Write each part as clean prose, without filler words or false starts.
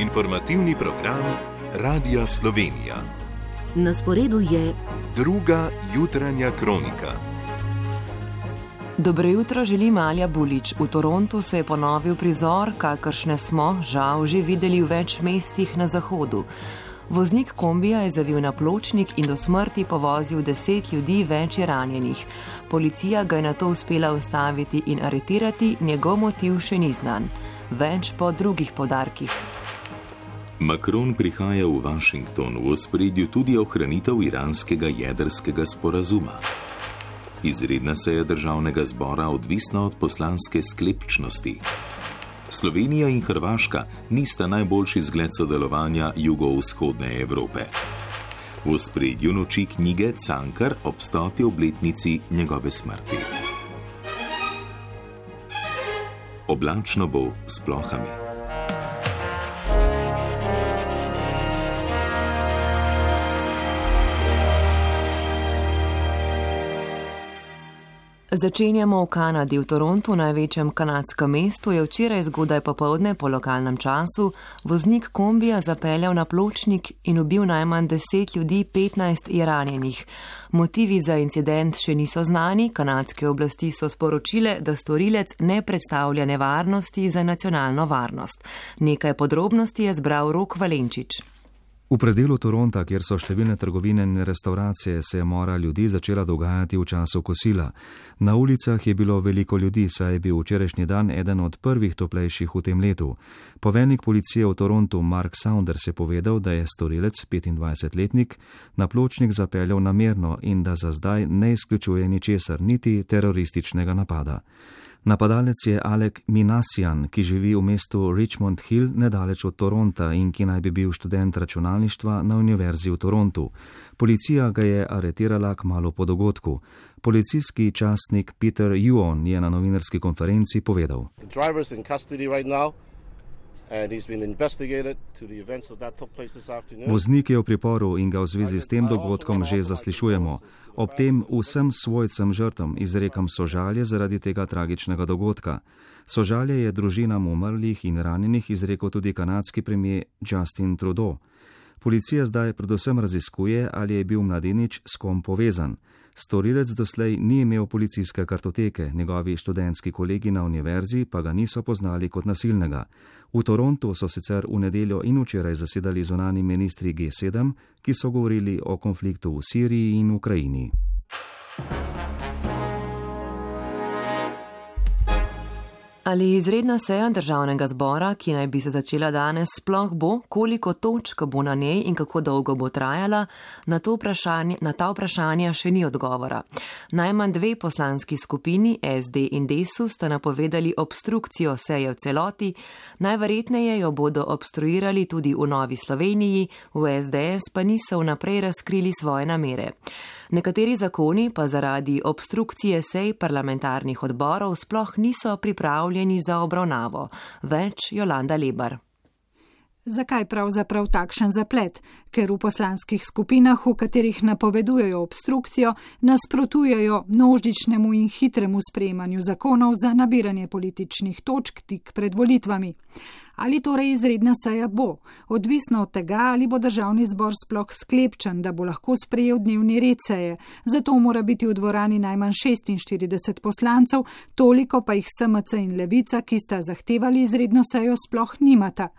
Informativni program Radia Slovenija. Na sporedu je druga jutranja kronika. Dobro jutro, želi Malja Bulič. V Torontu se je ponovil prizor, kakršne smo, žal, že videli v več mestih na zahodu. Voznik kombija je zavil na pločnik in do smrti povozil 10 ljudi, več je ranjenih. Policija ga je nato uspela ustaviti in aretirati, njegov motiv še ni znan. Več po drugih poudarkih. Macron prihaja v Washington, v ospredju tudi ohranitev iranskega jedrskega sporazuma. Izredna seja državnega zbora odvisna od poslanske sklepčnosti. Slovenija in Hrvaška nista najboljši zgled sodelovanja jugovzhodne Evrope. V ospredju noči knjige Cankar ob 100. obletnici njegove smrti. Oblačno bo s plohami. Začenjamo v Kanadi. V Torontu, največjem kanadskem mestu, je včeraj zgodaj popoldne po lokalnem času voznik kombija zapeljal na pločnik in ubil najmanj 10 ljudi, 15 je ranjenih. Motivi za incident še niso znani, kanadske oblasti so sporočile, da storilec ne predstavlja nevarnosti za nacionalno varnost. Nekaj podrobnosti je zbral Rok Valenčič. V predelu Toronta, kjer so številne trgovine in restauracije, se je mora ljudi začela dogajati v času kosila. Na ulicah je bilo veliko ljudi, saj je bil včerajšnji dan eden od prvih toplejših v tem letu. Poveljnik policije v Torontu Mark Saunders je povedal, da je storilec, 25-letnik, na pločnik zapeljal namerno in da za zdaj ne izključuje ničesar, niti terorističnega napada. Napadalec je Alec Minassian, ki živi v mestu Richmond Hill nedaleč od Toronta in ki naj bi bil študent računalništva na Univerzi v Torontu. Policija ga je aretirala kmalu po dogodku. Policijski častnik Peter Yuon je na novinarski konferenci povedal: Voznik je v priporu in ga v zvezi s tem dogodkom že zaslišujemo. Ob tem vsem svojcem žrtvam izrekam sožalje zaradi tega tragičnega dogodka. Sožalje je družinam umrlih in ranjenih izrekel tudi kanadski premier Justin Trudeau. Policija zdaj predvsem raziskuje, ali je bil mladenič s kom povezan. Storilec doslej ni imel policijske kartoteke, njegovi študentski kolegi na univerzi pa ga niso poznali kot nasilnega. V Torontu so sicer v nedeljo in včeraj zasedali zunanji ministri G7, ki so govorili o konfliktu v Siriji in Ukrajini. Ali izredna seja državnega zbora, ki naj bi se začela danes, sploh bo, koliko točk bo na njej in kako dolgo bo trajala, na ta vprašanja še ni odgovora. Najmanj 2 poslanski skupini, SD in Desus, sta napovedali obstrukcijo seje v celoti, najverjetneje jo bodo obstruirali tudi v Novi Sloveniji, v SDS pa niso vnaprej razkrili svoje namere. Nekateri zakoni pa zaradi obstrukcije sej parlamentarnih odborov sploh niso pripravljeni za obravnavo. Več Jolanda Lebar. Zakaj pravzaprav takšen zaplet? Ker v poslanskih skupinah, v katerih napovedujejo obstrukcijo, nasprotujejo množičnemu in hitremu sprejemanju zakonov za nabiranje političnih točk tik pred volitvami. Ali torej izredna seja bo? Odvisno od tega, ali bo državni zbor sploh sklepčen, da bo lahko sprejel dnevni red seje. Zato mora biti v dvorani najmanj 46 poslancev, toliko pa jih SMC in Levica, ki sta zahtevali izredno sejo, sploh nimata.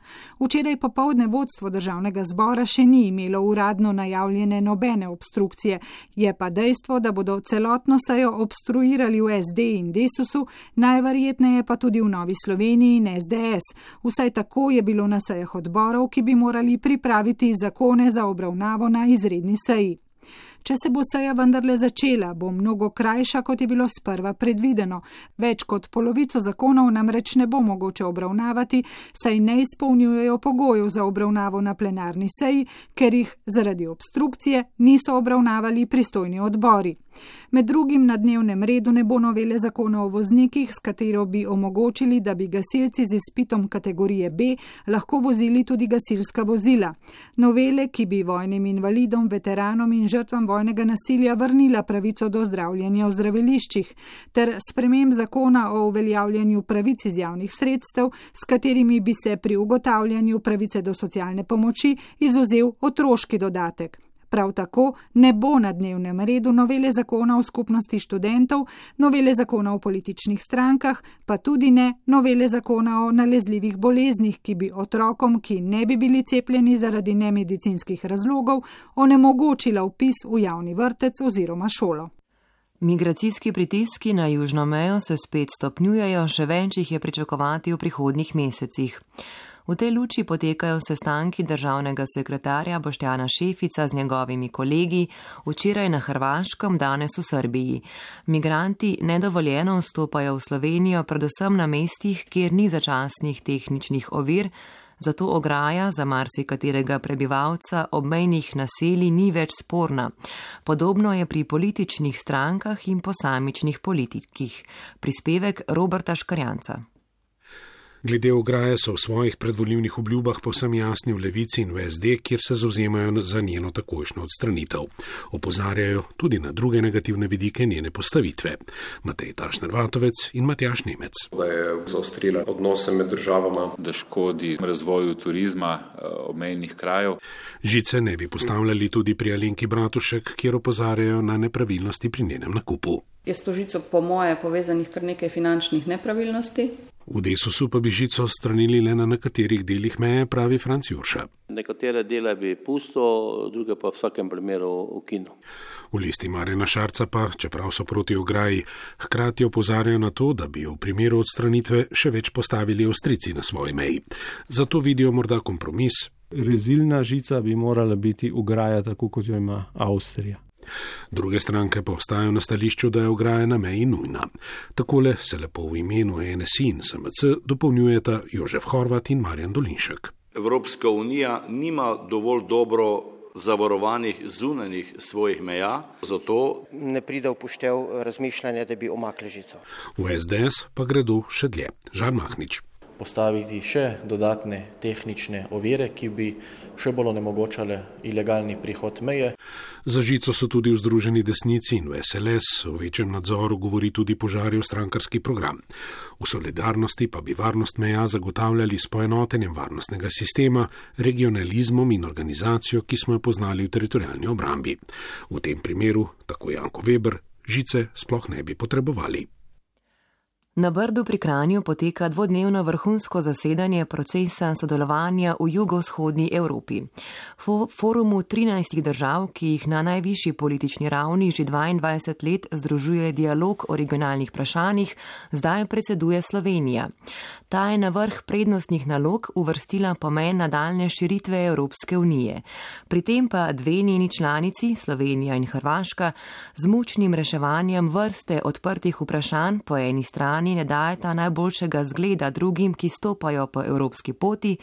Včeraj popoldne vodstvo državnega zbora še ni imelo uradno najavljene nobene obstrukcije. Je pa dejstvo, da bodo celotno sejo obstruirali v SD in Desusu, najverjetneje pa tudi v Novi Sloveniji in SDS. Vsaj tako je bilo na sejah odborov, ki bi morali pripraviti zakone za obravnavo na izredni seji. Če se bo seja vendarle začela, bo mnogo krajša, kot je bilo sprva predvideno. Več kot polovico zakonov namreč ne bo mogoče obravnavati, saj ne izpolnjujejo pogojev za obravnavo na plenarni seji, ker jih zaradi obstrukcije niso obravnavali pristojni odbori. Med drugim na dnevnem redu ne bo novele zakona o voznikih, s katero bi omogočili, da bi gasilci z izpitom kategorije B lahko vozili tudi gasilska vozila. Novele, ki bi vojnim invalidom, veteranom in žrtvam vojnega nasilja vrnila pravico do zdravljenja v zdraviliščih, ter sprememb zakona o uveljavljanju pravic iz javnih sredstev, s katerimi bi se pri ugotavljanju pravice do socialne pomoči izvzel otroški dodatek. Prav tako ne bo na dnevnem redu novele zakona o skupnosti študentov, novele zakona o političnih strankah, pa tudi ne novele zakona o nalezljivih boleznih, ki bi otrokom, ki ne bi bili cepljeni zaradi nemedicinskih razlogov, onemogočila vpis v javni vrtec oziroma šolo. Migracijski pritiski na južno mejo se spet stopnjujejo, še več jih je pričakovati v prihodnjih mesecih. V tej luči potekajo sestanki državnega sekretarja Boštjana Šefica z njegovimi kolegi, včeraj na Hrvaškem, danes v Srbiji. Migranti nedovoljeno vstopajo v Slovenijo, predvsem na mestih, kjer ni začasnih tehničnih ovir, zato ograja za marsikaterega prebivalca obmejnih naselij ni več sporna. Podobno je pri političnih strankah in posamičnih politikih. Prispevek Roberta Škarjanca. Glede ograje so v svojih predvolilnih obljubah povsem jasni v Levici in v SD, kjer se zavzemajo za njeno takojšnjo odstranitev. Opozarjajo tudi na druge negativne vidike njene postavitve. Matej Tašner-Vatovec in Matjaž Nemec. Da je zaostrila odnose med državama, da škodi razvoju turizma obmejnih krajev. Žice ne bi postavljali tudi pri Alenki Bratušek, kjer opozarjajo na nepravilnosti pri njenem nakupu. Je s to žico po moje povezanih kar nekaj finančnih nepravilnosti. V Desusu pa bi žico odstranili le na nekaterih delih meje, pravi Franc Jurša. Nekatere dele bi pusto, druge pa v vsakem primeru ukinil. V Listi Marjana Šarca pa, čeprav so proti ograji, hkrati opozarjajo na to, da bi v primeru odstranitve še več postavili Avstrijci na svoji meji. Zato vidijo morda kompromis. Rezilna žica bi morala biti ograja tako, kot jo ima Avstrija. Druge stranke pa ostajajo na stališču, da je ograja na meji nujna. Takole se lepo v imenu NSI in SMC dopolnjujeta Jožef Horvat in Marjan Dolinšek. Evropska unija nima dovolj dobro zavarovanih zunanjih svojih meja, zato ne pride v poštev razmišljanja, da bi omakli žico. V SDS pa gredo še dlje. Žan Mahnič. Postaviti še dodatne tehnične ovire, ki bi še bolj onemogočale ilegalni prihod meje. Za žico so tudi v Združeni desnici in v SLS, o večjem nadzoru govori tudi Požarjev strankarski program. V Solidarnosti pa bi varnost meja zagotavljali s poenotenjem varnostnega sistema, regionalizmom in organizacijo, ki smo jo poznali v teritorialni obrambi. V tem primeru, tako Janko Weber, žice sploh ne bi potrebovali. Na Brdu pri Kranju poteka dvodnevno vrhunsko zasedanje procesa sodelovanja v jugovzhodni Evropi. Forumu 13 držav, ki jih na najvišji politični ravni že 22 let združuje dialog o regionalnih vprašanjih, zdaj predseduje Slovenija. Ta je na vrh prednostnih nalog uvrstila pomen nadaljne širitve Evropske unije. Pri tem pa dve njeni članici, Slovenija in Hrvaška, z mučnim reševanjem vrste odprtih vprašanj po eni strani ne dajeta najboljšega zgleda drugim, ki stopajo po evropski poti,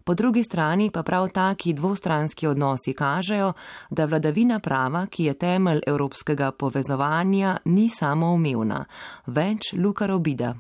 po drugi strani pa prav taki dvostranski odnosi kažejo, da vladavina prava, ki je temelj evropskega povezovanja, ni samoumevna. Več Luka Robida.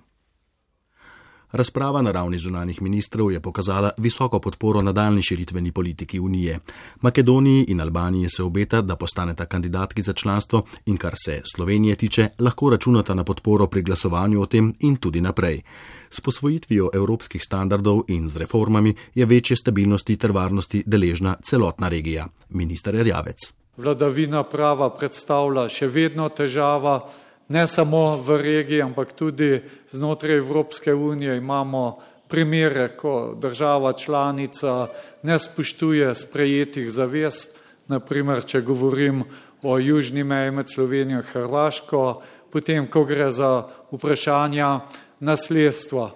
Razprava na ravni zunanjih ministrov je pokazala visoko podporo nadaljni širitveni politiki Unije. Makedoniji in Albaniji se obeta, da postaneta kandidatki za članstvo in kar se Slovenije tiče, lahko računata na podporo pri glasovanju o tem in tudi naprej. S posvojitvijo evropskih standardov in z reformami je večje stabilnosti ter varnosti deležna celotna regija. Minister Erjavec. Vladavina prava predstavlja še vedno težava. Ne samo v regiji, ampak tudi znotraj Evropske unije imamo primere, ko država članica ne spoštuje sprejetih zavez. Naprimer, če govorim o južni meji med Slovenijo in Hrvaško, potem, ko gre za vprašanja nasledstva.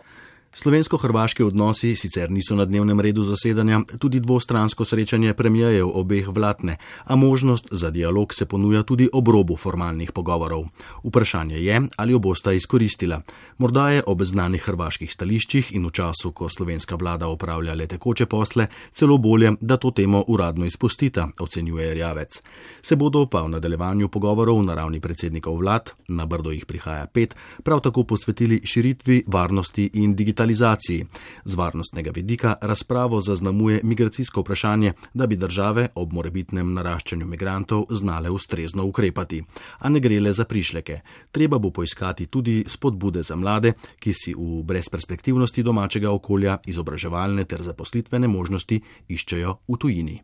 Slovensko-hrvaški odnosi sicer niso na dnevnem redu zasedanja, tudi dvostransko srečanje premijejev obeh vlad ne, a možnost za dialog se ponuja tudi ob robu formalnih pogovorov. Vprašanje je, ali jo bosta izkoristila. Morda je ob znanih hrvaških stališčih in v času, ko slovenska vlada opravlja le tekoče posle, celo bolje, da to temo uradno izpustita, ocenjuje Erjavec. Se bodo pa v nadaljevanju pogovorov na ravni predsednikov vlad, na Brdo jih prihaja 5, prav tako posvetili širitvi, varnosti in digitalizaciji digitalizaciji. Z varnostnega vidika razpravo zaznamuje migracijsko vprašanje, da bi države ob morebitnem naraščanju migrantov znale ustrezno ukrepati. A ne gre le za prišleke. Treba bo poiskati tudi spodbude za mlade, ki si v brezperspektivnosti domačega okolja izobraževalne ter zaposlitvene možnosti iščejo v tujini.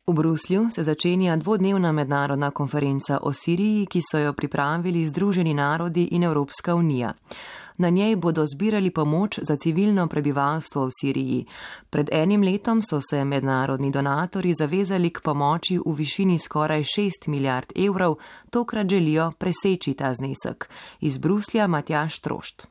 V Bruslju se začenja dvodnevna mednarodna konferenca o Siriji, ki so jo pripravili Združeni narodi in Evropska unija. Na njej bodo zbirali pomoč za civilno prebivalstvo v Siriji. Pred enim letom so se mednarodni donatorji zavezali k pomoči v višini skoraj 6 milijard evrov, tokrat želijo preseči ta znesek. Iz Bruslja Matjaž Trošt.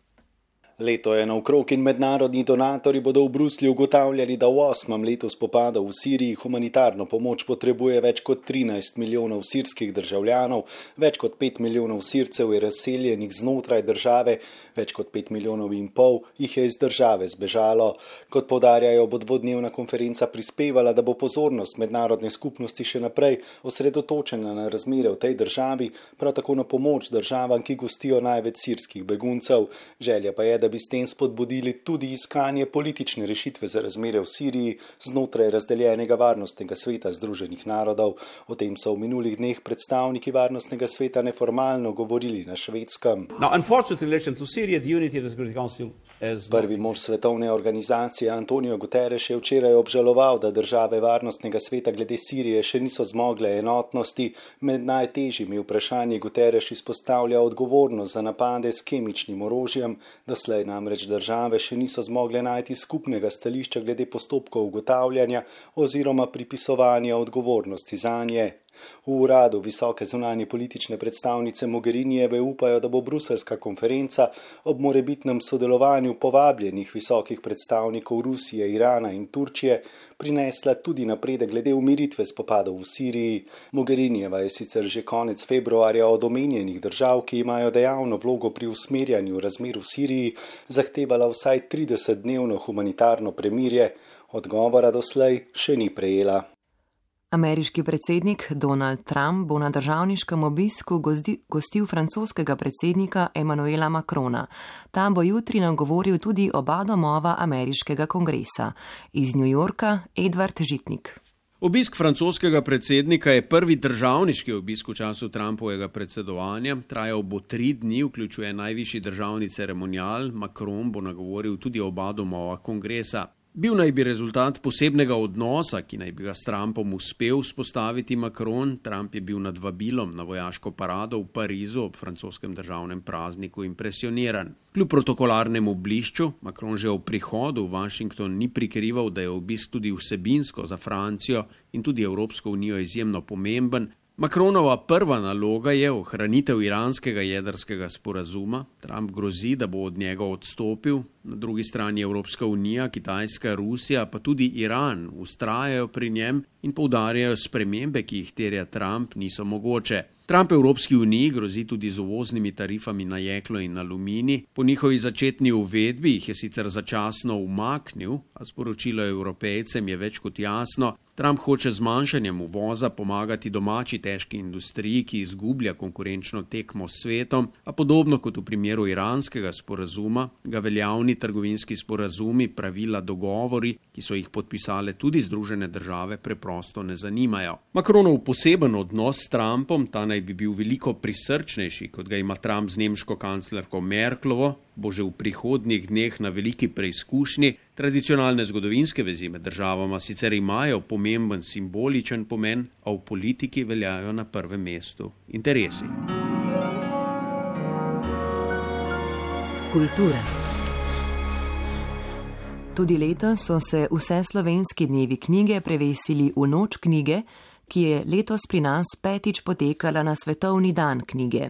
Leto je naokrog in mednarodni donatorji bodo v Bruslju ugotavljali, da v 8. letu spopadov v Siriji humanitarno pomoč potrebuje več kot 13 milijonov sirskih državljanov, več kot 5 milijonov Sircev je razseljenih znotraj države, več kot 5 milijonov in pol jih je iz države zbežalo. Kot poudarjajo, bo dvodnevna konferenca prispevala, da bo pozornost mednarodne skupnosti še naprej osredotočena na razmere v tej državi, prav tako na pomoč državam, ki gostijo največ sirskih beguncev. Želja pa je, da bi s tem spodbudili tudi iskanje politične rešitve za razmere v Siriji znotraj razdeljenega varnostnega sveta Združenih narodov. O tem so v minulih dneh predstavniki varnostnega sveta neformalno govorili na Švedskem. Prvi mož svetovne organizacije Antonio Guterres je včeraj obžaloval, da države varnostnega sveta glede Sirije še niso zmogle enotnosti. Med najtežjimi vprašanji Guterres izpostavlja odgovornost za napade s kemičnim orožjem. Doslej namreč države še niso zmogle najti skupnega stališča glede postopkov ugotavljanja oziroma pripisovanja odgovornosti zanje. V uradu visoke zunanje politične predstavnice Mogherinijeve upajo, da bo bruseljska konferenca ob morebitnem sodelovanju povabljenih visokih predstavnikov Rusije, Irana in Turčije prinesla tudi napredek glede umiritve spopadov v Siriji. Mogherinijeva je sicer že konec februarja od omenjenih držav, ki imajo dejavno vlogo pri usmerjanju razmer v Siriji, zahtevala vsaj 30-dnevno humanitarno premirje. Odgovora doslej še ni prejela. Ameriški predsednik Donald Trump bo na državniškem obisku gostil francoskega predsednika Emmanuela Macrona. Tam bo jutri nagovoril tudi oba domova ameriškega kongresa. Iz New Yorka Edvard Žitnik. Obisk francoskega predsednika je prvi državniški obisk v času Trumpovega predsedovanja. Trajal bo 3 dni, vključuje najvišji državni ceremonial. Macron bo nagovoril tudi oba domova kongresa. Bil naj bi rezultat posebnega odnosa, ki naj bi ga s Trumpom uspel vzpostaviti Macron. Trump je bil nad vabilom na vojaško parado v Parizu ob francoskem državnem prazniku impresioniran. Kljub protokolarnemu blišču, Macron že ob prihodu v Washington ni prikrival, da je obisk tudi vsebinsko za Francijo in tudi Evropsko unijo izjemno pomemben. Macronova prva naloga je ohranitev iranskega jedrskega sporazuma. Trump grozi, da bo od njega odstopil. Na drugi strani Evropska unija, Kitajska, Rusija, pa tudi Iran vztrajajo pri njem in poudarjajo, spremembe, ki jih terja Trump, niso mogoče. Trump Evropski uniji grozi tudi z uvoznimi tarifami na jeklo in aluminij. Po njihovi začetni uvedbi jih je sicer začasno umaknil, a sporočilo Evropejcem je več kot jasno. Trump hoče z zmanjšanjem uvoza pomagati domači težki industriji, ki izgublja konkurenčno tekmo s svetom, a podobno kot v primeru iranskega sporazuma, ga veljavni trgovinski sporazumi, pravila, dogovori, ki so jih podpisale tudi Združene države, preprosto ne zanimajo. Macronov poseben odnos s Trumpom, ta naj bi bil veliko prisrčnejši, kot ga ima Trump z nemško kanclerko Merklovo, bo že v prihodnjih dneh na veliki preizkušnji. Tradicionalne zgodovinske vezi med državama sicer imajo pomemben simboličen pomen, a v politiki veljajo na prvem mestu interesi. Kultura. Tudi letos so se vse slovenski dnevi knjige prevesili v noč knjige, ki je letos pri nas 5. potekala na Svetovni dan knjige.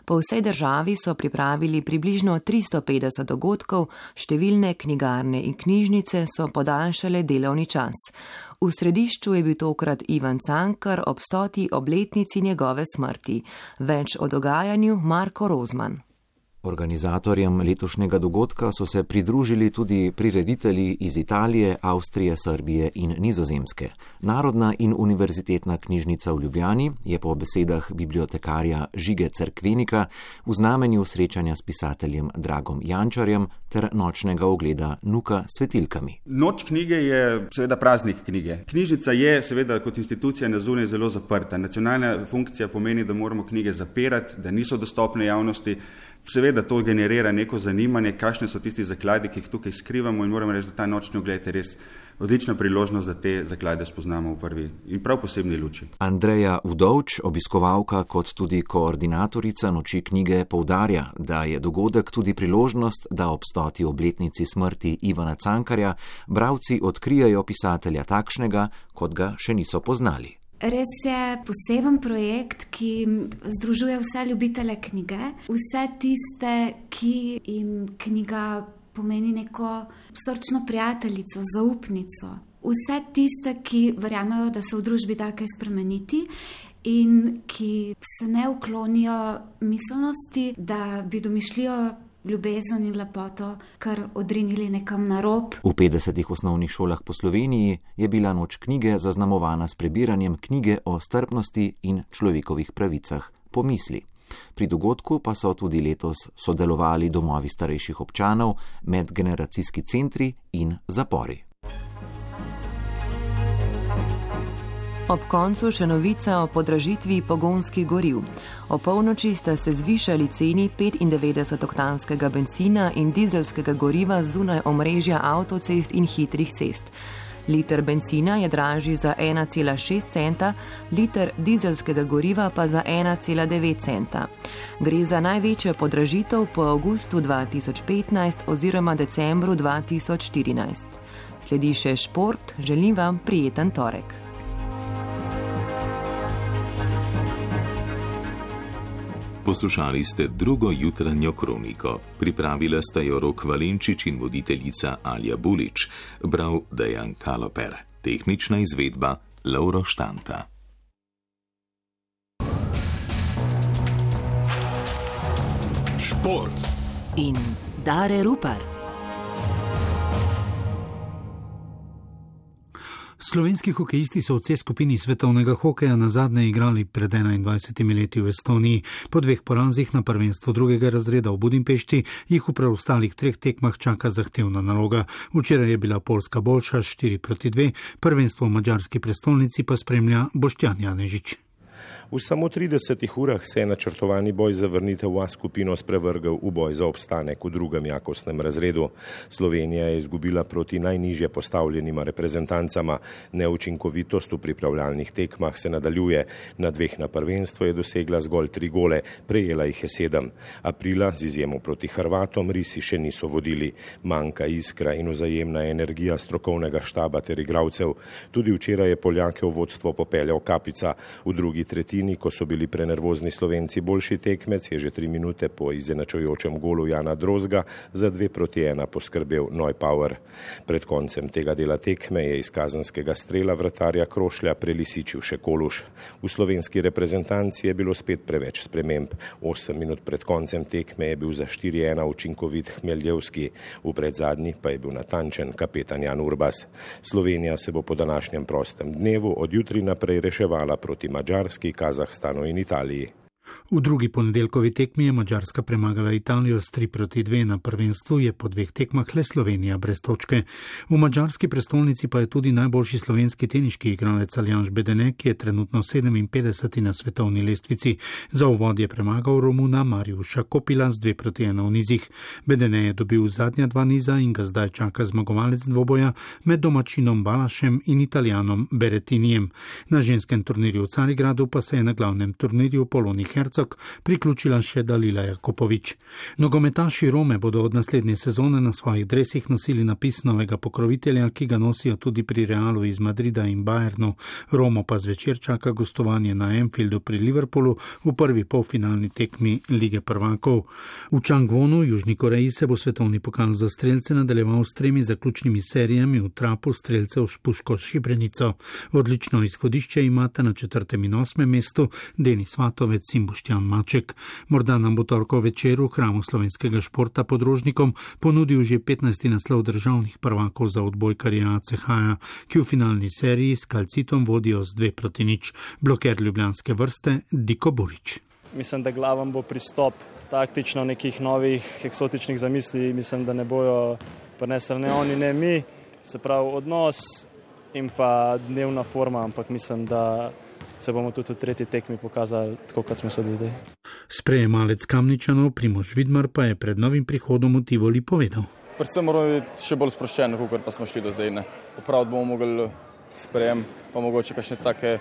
Po vsej državi so pripravili približno 350 dogodkov, številne knjigarne in knjižnice so podaljšale delovni čas. V središču je bil tokrat Ivan Cankar ob 100. obletnici njegove smrti. Več o dogajanju Marko Rozman. Organizatorjem letošnjega dogodka so se pridružili tudi prireditelji iz Italije, Avstrije, Srbije in Nizozemske. Narodna in univerzitetna knjižnica v Ljubljani je po besedah bibliotekarja Žige Cerkvenika v znamenju srečanja s pisateljem Dragom Jančarjem ter nočnega ogleda Nuka s svetilkami. Noč knjige je seveda praznik knjige. Knjižnica je seveda kot institucija na zunaj zelo zaprta. Nacionalna funkcija pomeni, da moramo knjige zapirati, da niso dostopne javnosti. Seveda to generira neko zanimanje, kakšne so tisti zakladi, ki jih tukaj skrivamo, in moramo reči, da ta nočni ogled je res odlična priložnost, da te zaklade spoznamo v prvi in prav posebni luči. Andreja Udovč, obiskovalka kot tudi koordinatorica Noči knjige, poudarja, da je dogodek tudi priložnost, da ob 100. obletnici smrti Ivana Cankarja bralci odkrijejo pisatelja takšnega, kot ga še niso poznali. Res je poseben projekt, ki združuje vse ljubitele knjige, vse tiste, ki jim knjiga pomeni neko srčno prijateljico, zaupnico. Vse tiste, ki verjamejo, da se v družbi da kaj spremeniti in ki se ne uklonijo miselnosti, da bi domišljijo ljubezen in lepoto kar odrinili nekam na rob. V 50 osnovnih šolah po Sloveniji je bila Noč knjige zaznamovana s prebiranjem knjige o strpnosti in človekovih pravicah Pomisli. Pri dogodku pa so tudi letos sodelovali domovi starejših občanov, medgeneracijski centri in zapori. Ob koncu še novica o podražitvi pogonskih goriv. O polnoči sta se zvišali ceni 95-oktanskega bencina in dizelskega goriva zunaj omrežja avtocest in hitrih cest. Liter bencina je dražji za 1,6 centa, liter dizelskega goriva pa za 1,9 centa. Gre za največjo podražitev po avgustu 2015 oziroma decembru 2014. Sledi še šport, želim vam prijeten torek. Poslušali ste drugo jutranjo kroniko. Pripravila sta jo Rok Valenčič in voditeljica Alja Bulič. Bral Dejan Kaloper. Tehnična izvedba Lovro Štanta. Šport in Dare Rupar. Slovenski hokejisti so v C skupini svetovnega hokeja nazadnje igrali pred 21 leti v Estoniji. Po 2 porazih na prvenstvo 2. razreda v Budimpešti jih v preostalih 3 tekmah čaka zahtevna naloga. Včeraj je bila Poljska boljša 4-2, prvenstvo v madžarski prestolnici pa spremlja Boštjan Janežič. V samo 30 urah se je načrtovani boj za vrnitev v A skupino sprevrgel v boj za obstanek v 2. jakostnem razredu. Slovenija je izgubila proti najnižje postavljenima reprezentancama. Neučinkovitost v pripravljalnih tekmah se nadaljuje. Na 2 na prvenstvo je dosegla zgolj 3 gole, prejela jih je 7. Aprila, z izjemo proti Hrvatom, risi še niso vodili. Manjka iskra in vzajemna energija strokovnega štaba ter igralcev. Tudi včeraj je Poljake v vodstvo popeljal Kapica. V drugi tretjini, ko so bili prenervozni Slovenci boljši tekmec, je že 3 minute po izenačujočem golu Jana Drozga za 2-1 poskrbel Neupauer. Pred koncem tega dela tekme je iz kazenskega strela vratarja Krošlja prelisičil še Koluš. V slovenski reprezentanci je bilo spet preveč sprememb. 8 minut pred koncem tekme je bil za 4-1 učinkovit Hmeljevski, v predzadnji pa je bil natančen kapetan Jan Urbas. Slovenija se bo po današnjem prostem dnevu od jutri naprej reševala proti Madžarski, Kazahstanu in Italiji. V drugi ponedeljkovi tekmi je Madžarska premagala Italijo s 3-2, na prvenstvu je po 2 tekmah le Slovenija brez točke. V madžarski prestolnici pa je tudi najboljši slovenski teniški igralec Aljanž Bedene, ki je trenutno 57. na svetovni lestvici. Za uvod je premagal Romuna Mariuša Kopila z 2-1 v nizih. Bedene je dobil zadnja 2 niza in ga zdaj čaka zmagovalec dvoboja med domačinom Balašem in Italijanom Berettinijem. Na ženskem turnirju v Carigradu pa se je na glavnem turnirju Poloni Hercog priključila še Dalila Jakopovič. Nogometaši Rome bodo od naslednje sezone na svojih dresih nosili napis novega pokrovitelja, ki ga nosijo tudi pri Realu iz Madrida in Bayernu. Romo pa zvečer čaka gostovanje na Anfieldu pri Liverpoolu v prvi polfinalni tekmi Lige prvakov. V Changwonu, Južni Koreji, se bo svetovni pokal za strelce nadaljeval s 3 zaključnimi serijami v trapu strelcev s puško Šibrenico. Odlično izhodišče imata na 4. in 8. mestu Denis Vatovec in in Boštjan Maček. Morda nam bo torkov večer v hramu slovenskega športa podrožnikom ponudil že 15. naslov državnih prvakov za odbojkarja ACH-ja, ki v finalni seriji s Kalcitom vodijo z 2-0. Bloker ljubljanske vrste Diko Burič. Mislim, da glaven bo pristop taktično nekih novih eksotičnih zamisli. Mislim, da ne bojo prinesli ne oni, ne mi. Se pravi odnos in pa dnevna forma, ampak mislim, da se bomo tudi v tretji tekmi pokazali tako, kot smo se do zdaj. Sprejemalec Kamničanov Primož Vidmar pa je pred novim prihodom v Tivoli povedal. Predvsem moramo biti še bolj sproščeni, kot pa smo šli do zdaj. Opraviti bomo mogli sprejem, pa mogoče kakšne take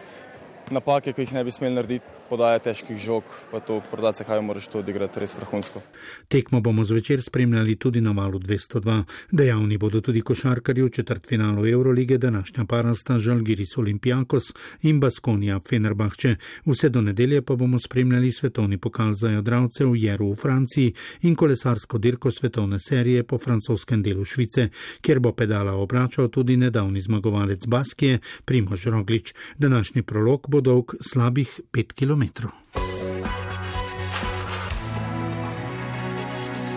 napake, ki jih ne bi smeli narediti, podaje težkih žog, pa to prodati se kaj moraš to odigrati res vrhunsko. Tekmo bomo zvečer spremljali tudi na valu 202. Dejavni bodo tudi košarkarji v četrtfinalu Eurolige, današnja para sta Žalgiris Olympiakos in Baskonija Fenerbahče. Vse do nedelje pa bomo spremljali svetovni pokal za jadralce v Jeru v Franciji in kolesarsko dirko svetovne serije po francoskem delu Švice, kjer bo pedala obračal tudi nedavni zmagovalec Baskije Primož Roglič. Današnji prolog bo dolg slabih 5 kilometrov.